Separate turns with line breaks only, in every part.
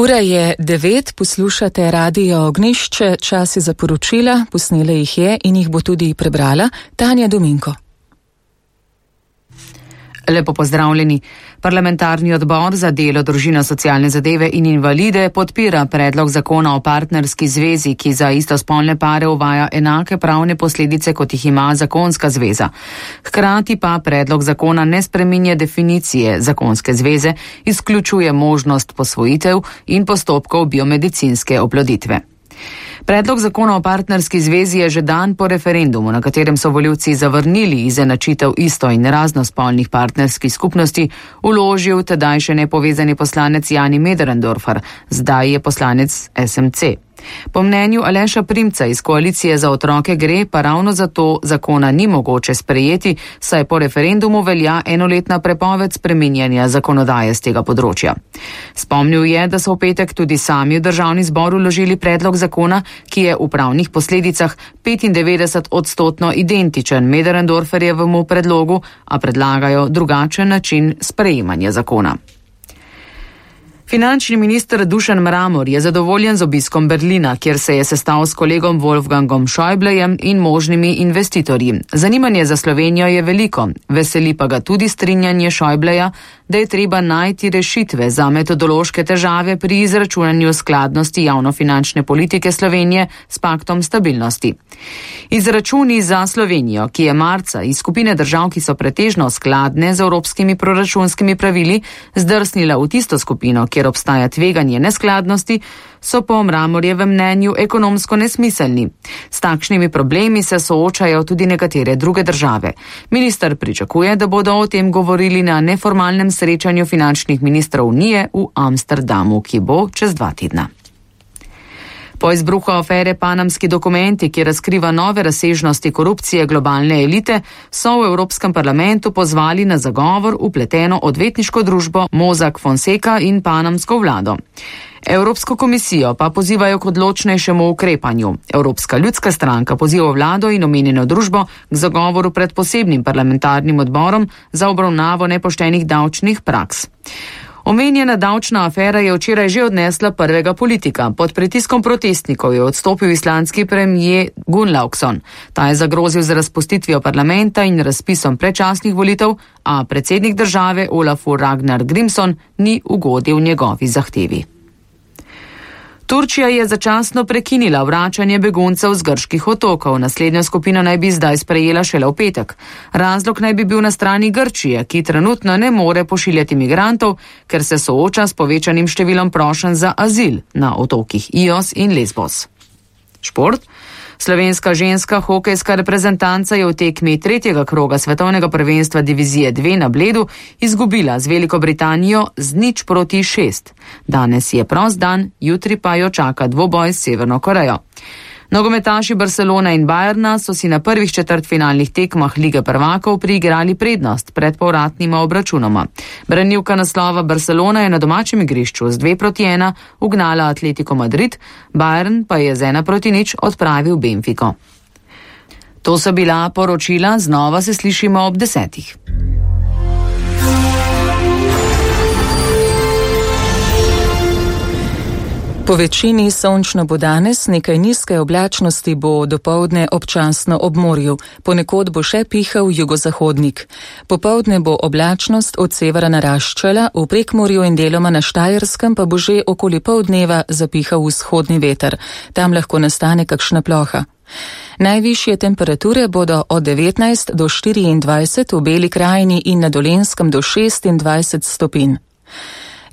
Ura je 9, poslušate Radio Ognjišče, čas je za poročila, posnele jih je in jih bo tudi prebrala Tanja Dominko.
Lepo pozdravljeni. Parlamentarni odbor za delo, družino, socialne zadeve in invalide podpira predlog zakona o partnerski zvezi, ki za istospolne pare uvaja enake pravne posledice, kot jih ima zakonska zveza. Hkrati pa predlog zakona ne spreminja definicije zakonske zveze, izključuje možnost posvojitev in postopkov biomedicinske oploditve. Predlog zakona o partnerski zvezi je že dan po referendumu, na katerem so volivci zavrnili izenačitev isto- in raznospolnih partnerskih skupnosti, vložil tedaj še nepovezani poslanec Jani Möderndorfer, zdaj je poslanec SMC. Po mnenju Aleša Primca iz Koalicije za otroke gre pa ravno zato zakona ni mogoče sprejeti, saj po referendumu velja enoletna prepoved spreminjanja zakonodaje z tega področja. Spomnil je, da so v petek tudi sami v državni zbor vložili predlog zakona, ki je v pravnih posledicah 95% identičen Möderndorferjevemu predlogu, a predlagajo drugačen način sprejemanja zakona. Finančni minister Dušan Mramor je zadovoljen z obiskom Berlina, kjer se je sestal s kolegom Wolfgangom Schäublejem in možnimi investitorji. Zanimanje za Slovenijo je veliko, veseli pa ga tudi strinjanje Schäubleja, da je treba najti rešitve za metodološke težave pri izračunanju skladnosti javnofinančne politike Slovenije s paktom stabilnosti. Izračuni za Slovenijo, ki je marca iz skupine držav, ki so pretežno skladne z evropskimi proračunskimi pravili, zdrsnila v tisto skupino, kjer obstaja tveganje neskladnosti, so po Mramorjevem mnenju ekonomsko nesmiselni. S takšnimi problemi se soočajo tudi nekatere druge države. Minister pričakuje, da bodo o tem govorili na neformalnem srečanju finančnih ministrov Unije v Amsterdamu, ki bo čez 2 tedna. Po izbruhu afere Panamski dokumenti, ki razkriva nove razsežnosti korupcije globalne elite, so v Evropskem parlamentu pozvali na zagovor vpleteno odvetniško družbo Mossack Fonseca in panamsko vlado. Evropsko komisijo pa pozivajo k odločnejšemu ukrepanju. Evropska ljudska stranka poziva vlado in omenjeno družbo k zagovoru pred posebnim parlamentarnim odborom za obravnavo nepoštenih davčnih praks. Omenjena davčna afera je včeraj že odnesla prvega politika. Pod pritiskom protestnikov je odstopil islandski premijer Gunnlaugsson. Ta je zagrozil z razpustitvijo parlamenta in razpisom predčasnih volitev, a predsednik države Olafur Ragnar Grímsson ni ugodil njegovi zahtevi. Turčija je začasno prekinila vračanje beguncev z grških otokov. Naslednjo skupino naj bi zdaj sprejela šele v petek. Razlog naj bi bil na strani Grčije, ki trenutno ne more pošiljati migrantov, ker se sooča s povečanim številom prošenj za azil na otokih Ios in Lesbos. Šport. Slovenska ženska hokejska reprezentanca je v tekmi 3. kroga svetovnega prvenstva divizije 2 na Bledu izgubila z Veliko Britanijo z 0-6. Danes je prost dan, jutri pa jo čaka dvoboj s Severno Korejo. Nogometaši Barcelona in Bayerna so si na prvih četrtfinalnih tekmah Lige prvakov priigrali prednost pred povratnima obračunoma. Branilka naslova Barcelona je na domačem igrišču z 2-1 ugnala Atletico Madrid, Bayern pa je z 1-0 odpravil Benfico. To so bila poročila, znova se slišimo ob 10.
Po večini sončno bo danes, nekaj nizke oblačnosti bo dopoldne občasno ob morju, ponekod bo še pihal jugozahodnik. Popoldne bo oblačnost od severa naraščala, v Prekmurju in deloma na Štajerskem pa bo že okoli pol dneva zapihal vzhodni veter. Tam lahko nastane kakšna ploha. Najvišje temperature bodo od 19 do 24 v Beli krajini in na Dolenjskem do 26 stopinj.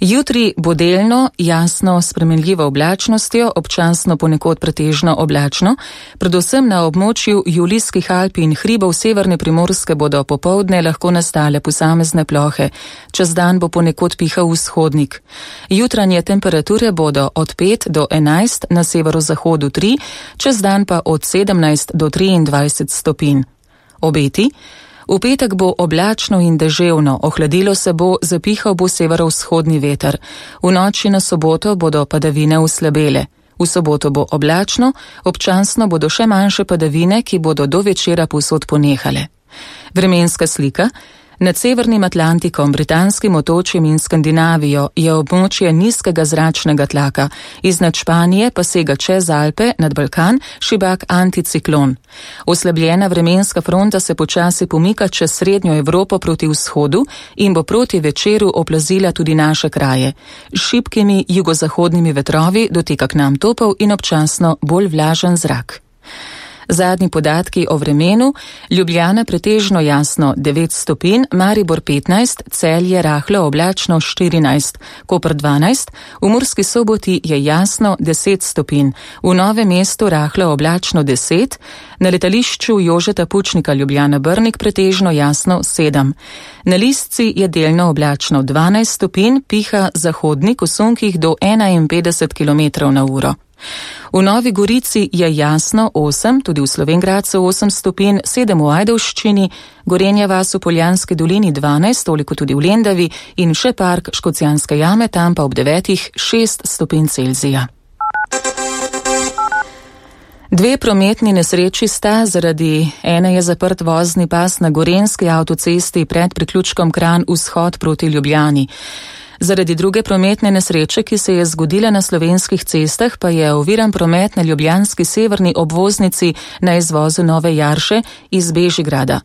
Jutri bo delno, jasno, spremenljivo oblačnostjo, občasno ponekod pretežno oblačno, predvsem na območju Julijskih Alp in hribov severne Primorske bodo popoldne lahko nastale posamezne plohe, čez dan bo ponekod pihal vzhodnik. Jutranje temperature bodo od 5 do 11, na severozahodu 3, čez dan pa od 17 do 23 stopinj. Obeti. V petek bo oblačno in deževno, ohladilo se bo, zapihal bo severovzhodni veter. V noči na soboto bodo padavine oslabele. V soboto bo oblačno, občasno bodo še manjše padavine, ki bodo do večera povsod ponehale. Vremenska slika. Nad Severnim Atlantikom, Britanskim otočjem in Skandinavijo je območje nizkega zračnega tlaka, iznad Španije pa sega čez Alpe nad Balkan šibak anticiklon. Oslabljena vremenska fronta se počasi pomika čez srednjo Evropo proti vzhodu in bo proti večeru oplazila tudi naše kraje. S šibkimi jugozahodnimi vetrovi doteka k nam topel in občasno bolj vlažen zrak. Zadnji podatki o vremenu: Ljubljana pretežno jasno 9 stopinj, Maribor 15, Celje rahlo oblačno 14, Koper 12, v Murski Soboti je jasno 10 stopinj, v Novem mestu rahlo oblačno 10, na letališču Jožeta Pučnika Ljubljana Brnik pretežno jasno 7. Na Listci je delno oblačno 12 stopinj, piha zahodnik v sunkih do 51 km/h. V Novi Gorici je jasno 8, tudi v Slovenj Gradcu 8 stopinj, 7 v Ajdovščini, Gorenja vas v Poljanski dolini 12, toliko tudi v Lendavi in še park Škocjanske jame, tam pa ob 9 6 stopinj Celzija. Dve prometni nesreči sta, zaradi ene je zaprt vozni pas na Gorenjski avtocesti pred priključkom Kranj vzhod proti Ljubljani. Zaradi druge prometne nesreče, ki se je zgodila na slovenskih cestah, pa je oviran promet na ljubljanski severni obvoznici na izvozu Nove Jarše iz Bežigrada.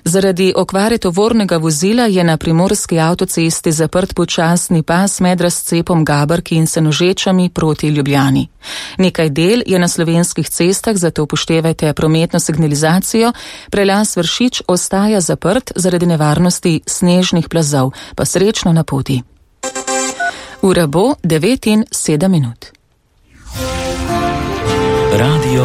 Zaradi okvare tovornega vozila je na primorski avtocesti zaprt počasni pas med razcepom Gabrki in Senožečami proti Ljubljani. Nekaj del je na slovenskih cestah, zato upoštevajte prometno signalizacijo. Prelaz Vršič ostaja zaprt zaradi nevarnosti snežnih plazov, pa srečno na poti. Ura bo 9:07. Radio